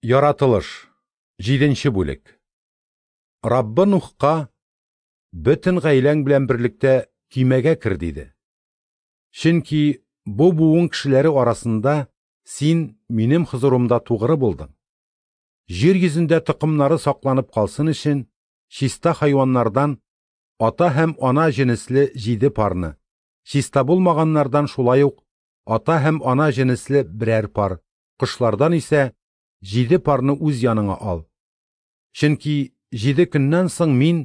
Яратылыш, 7 бүлек. Раббы Нухка: "Бөтен гаиләң белән берлектә көймәгә кер", диде. Чөнки бу буын кешеләре арасында син минем хозурымда тугры булдың. Җир йөзендә токымнары сакланып калсын өчен, чиста хайваннардан ата һәм ана җенесле 7 парны, чиста булмаганнардан шулай ук ата һәм ана җенесле берәр пар, кошлардан исә 7 парны үз яныңа ал. Чөнки 7 көннән соң мин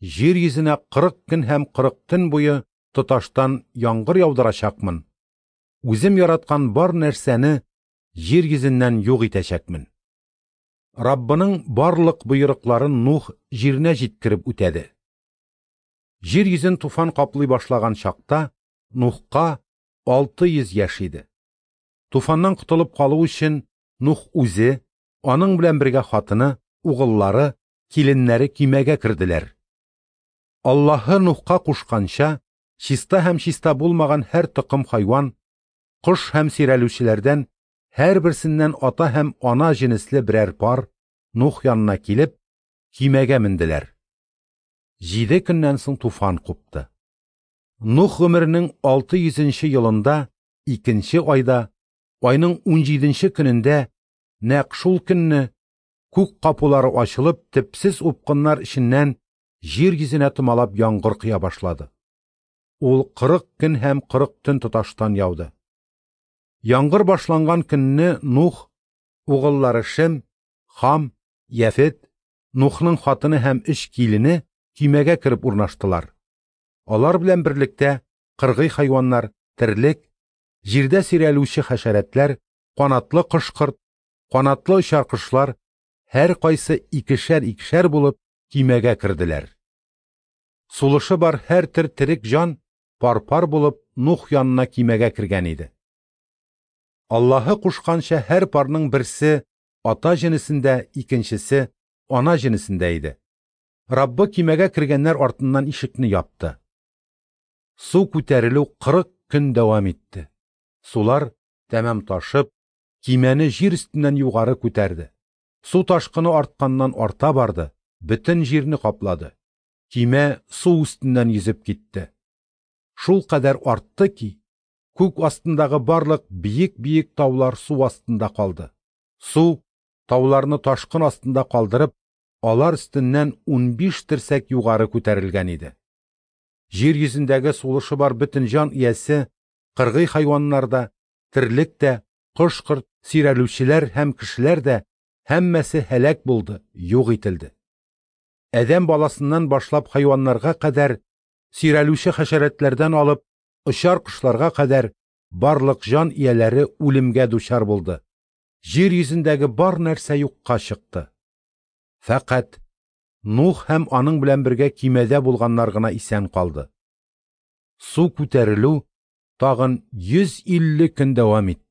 җир йөзенә 40 көн һәм 40 төн буе тоташтан яңгыр яудырачакмын. Үзем яраткан бар нәрсәне җир йөзеннән юк итәчәкмен. Раббының барлык боерыкларын Нух җиренә җиткереп үтәде. Җир йөзен туфан каплый башлаган чакта Нухка 600 яшь иде. Туфаннан котылып калу өчен Нух үзе, аның белән бергә хатыны, угыллары, киленнәре көймәгә керделәр. Аллаһы Нухка кушканча, чиста һәм чиста булмаган һәр токым хайван, кош һәм сөйрәлүчеләрдән һәрберсеннән ата һәм ана җенесле берәр пар Нух янына килеп, көймәгә менделәр. 7 көннән соң туфан купты. Нух гомеренең 600 елында, 2 айда, айның 17 көнендә, нәкъ шул көнне күк капулары ачылып, төпсез упкыннар эченнән җир йөзенә томалап яңгыр коя башлады. Ул 40 көн һәм 40 төн тоташтан яуды. Яңгыр башланган көнне Нух, угыллары Шем, Хам, Яфет, Нухның хатыны һәм 3 килене көймәгә кереп урнаштылар. Алар белән берлектә кыргый хайваннар, терлек, җирдә сөйрәлүче хәшәрәтләр, канатлы кош-корт, канатлы очар кошлар, һәр кайсы икешәр-икешәр булып көймәгә керделәр. Сулышы бар һәр төр терек җан пар-пар булып Нух янына көймәгә кергән иде. Аллаһы кушканча һәр парның берсе ата җенесендә, икенчесе ана җенесендә иде. Раббы көймәгә кергәннәр артыннан ишекне япты. Су күтәрелү 40 көн дәвам итте. Сулар тәмам ташып, көймәне җир өстеннән югары күтәрде. Су ташкыны артканнан арта барды, бөтен җирне каплады. Көймә су өстеннән йөзеп китте. Шул кадәр артты ки, күк астындагы барлык биек-биек таулар су астында калды. Су тауларны ташкын астында калдырып, алар өстеннән 15 терсәк югары күтәрелгән иде. Җир йөзендәге сулышы бар бөтен җан иясе, кыргый хайваннар да, терлек тә, кош-корт, сөйрәлүчеләр һәм кешеләр дә һәммәсе һәлак булды, юк ителде. Адәм баласыннан башлап хайваннарга кадәр, сөйрәлүче хәшәрәтләрдән алып, очар кошларга кадәр барлык җан ияләре үлемгә дучар булды. Җир йөзендәге бар нәрсә юкка чыкты. Фәкать Нух һәм аның белән бергә көймәдә булганнар гына исән калды. Су күтәрелү тагын 150 көн дәвам итте.